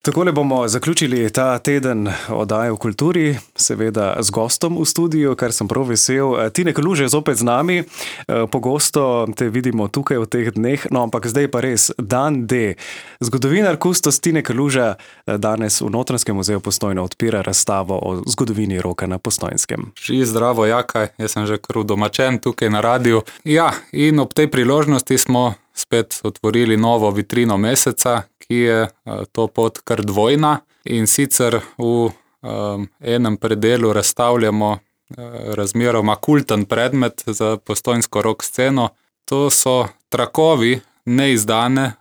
Takole bomo zaključili ta teden oddaje v kulturi, seveda z gostom v studiu, kar sem prav vesel. Tine Kaluže je zopet z nami, pogosto te vidimo tukaj v teh dneh, no ampak zdaj pa res dan D. Zgodovinar kustos Tine Kaluža danes v Notranjskem muzeju Postojna odpira razstavo o zgodovini roka na Postojnskem. Zdravo, Jaka, jaz sem že kar domačen tukaj na radiju. Ja, in ob tej priložnosti smo spet otvorili novo vitrino meseca, ki je to pot kar dvojna, in sicer v enem predelu razstavljamo razmeroma kulten predmet za postojnsko rock sceno. To so trakovi, neizdane,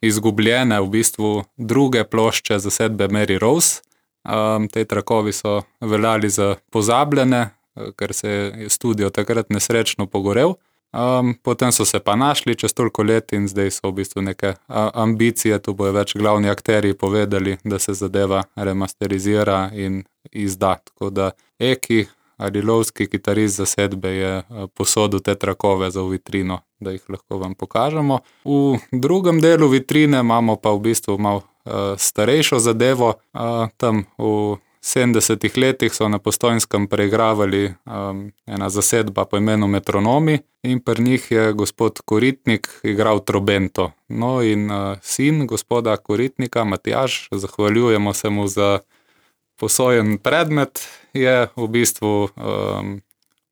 izgubljene v bistvu druge plošče zasedbe Mary Rose. Te trakovi so veljali za pozabljene, ker se je studio takrat nesrečno pogorel. Potem so se pa našli čez toliko let in zdaj so v bistvu neke ambicije, tu bojo več glavni akterji povedali, da se zadeva remasterizira in izda. Tako da Eki, arilovski kitarist zasedbe, je posodil te trakove za vitrino, da jih lahko vam pokažemo. V drugem delu vitrine imamo pa v bistvu malo starejšo zadevo. Tam v 70-ih letih so na Postojnskem preigravali ena zasedba po imenu Metronomi in pri njih je gospod Koritnik igral trobento. No in sin gospoda Koritnika, Matjaž, zahvaljujemo se mu za posojen predmet, je v bistvu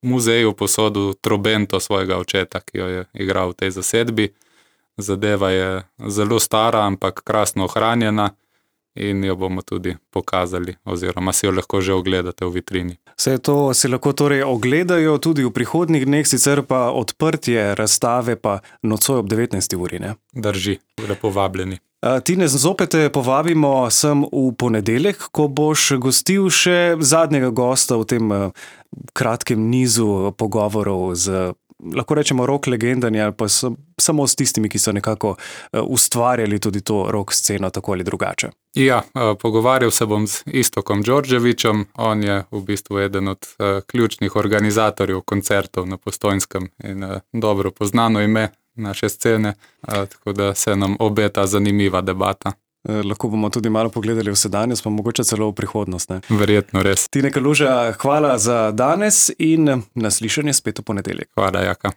muzeju posodil trobento svojega očeta, ki jo je igral v tej zasedbi. Zadeva je zelo stara, ampak krasno ohranjena. In jo bomo tudi pokazali, oziroma si jo lahko že ogledate v vitrini. Vse to si lahko torej ogledajo tudi v prihodnjih dneh, sicer pa odprtje razstave pa nocoj ob 19. uri, ne? Drži, lepo vabljeni. Tine, zopet te povabimo sem v ponedeljek, ko boš gostil še zadnjega gosta v tem kratkem nizu pogovorov z, lahko rečemo, rock legendami ali pa samo s tistimi, ki so nekako ustvarjali tudi to rock sceno tako ali drugače. Ja, pogovarjal se bom z Istokom Đorđevićem, on je v bistvu eden od ključnih organizatorjev koncertov na Postojnskem in dobro poznano ime naše scene, tako da se nam obeta zanimiva debata. Lahko bomo tudi malo pogledali v sedanjost, pa mogoče celo v prihodnost, ne? Verjetno res. Tine Kaluža, hvala za danes in naslišanje spet v ponedeljek. Hvala, Jaka.